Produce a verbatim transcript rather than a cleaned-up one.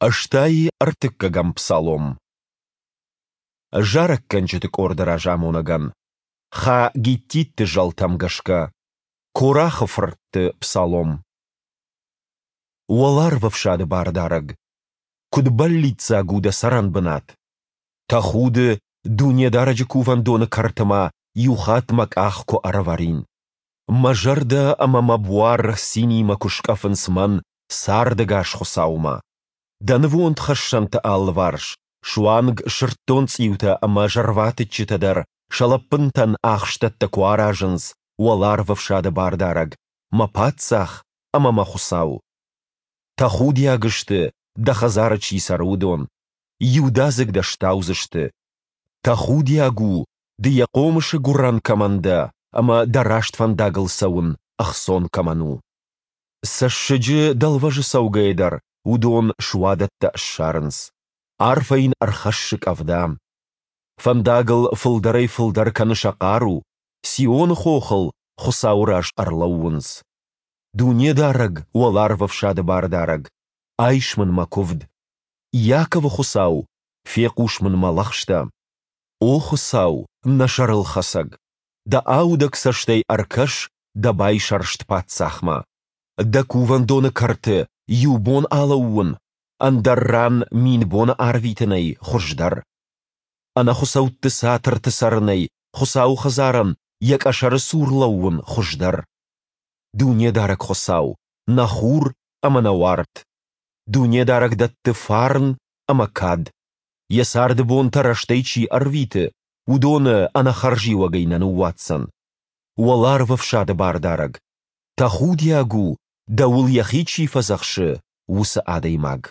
Ӕстай ӕртыккӕгӕм псалом. Зарӕггӕнджыты къорды разамонӕгӕн. Ха-Гиттитты зӕлтӕм гӕсгӕ. Корахы фыртты псалом. Уӕларвӕфсады Бардарӕг! Куыд бӕллиццаг у Дӕ цӕрӕнбынат! Тӕхуды, Дунедарӕджы Кувӕндоны кӕрты ма иу хатт мӕ къах куы ӕрӕвӕрин! Мӕ зӕрдӕ ӕмӕ мӕ буар цинимӕ куы скъӕфынц мӕн цардӕгас Хуыцаумӕ! Дӕ нывондхӕссӕнты алыварс суанг сырддонцъиутӕ ӕмӕ зӕрватыччытӕ дӕр сӕ лӕппынтӕн ахстӕттӕ куы аразынц, Уӕларвӕфсады Бардарӕг, мӕ Паддзах ӕмӕ мӕ Хуыцау! Тӕхудиаг сты, дӕ хӕдзары чи цӕры, уыдон, иудадзыг дӕ стаудзысты. Тӕхудиаг у, ды йӕ хъомысы гуырӕн кӕмӕн дӕ ӕмӕ дӕ раст фӕндагыл цӕуын ӕхцон кӕмӕн у. Цӕссыджы дӕлвӕзы цӕугӕйӕ дӕр уыдон суадӕттӕ ссарынц. Арфӕ йын ӕрхӕссы къӕвда. Фӕндагыл фылдӕрӕй-фылдӕр кӕны сӕ хъару, Сионы хохыл Хуыцауы раз ӕрлӕууынц. Дунедарӕг, Уӕларвӕфсады Бардарӕг, айс мын мӕ куывд. Иаковы Хуыцау, фехъус мын мӕ лӕгъстӕ. О Хуыцау, нӕ сӕрылхӕцӕг! Дӕ аудӕг цӕстӕй ӕркӕс дӕ байсӕрст паддзахмӕ. Дӕ кувӕндоны кӕрты иу бон алӕууын, ӕндӕр ран мин боны арвитынӕй хуыздӕр. Ӕнӕхуыцӕутты цатырты цӕрынӕй Хуыцауы хӕдзарӕн йӕ къӕсӕры цур лӕууын хуыздӕр. Дунедарӕг Хуыцау, нӕ хур ӕмӕ нӕ уарт! Дунедарӕг дӕтты фарн ӕмӕ кад. Йӕ царды бонтӕ рӕстӕй чи ӕрвиты, уыдоны ӕнӕхӕрзиуӕгӕй нӕ ныууадздзӕн. Уӕларвӕфсады Бардарӕг, тӕхудиаг у, дӕуыл йӕхи чи фӕдзӕхсы, уыцы адӕймаг.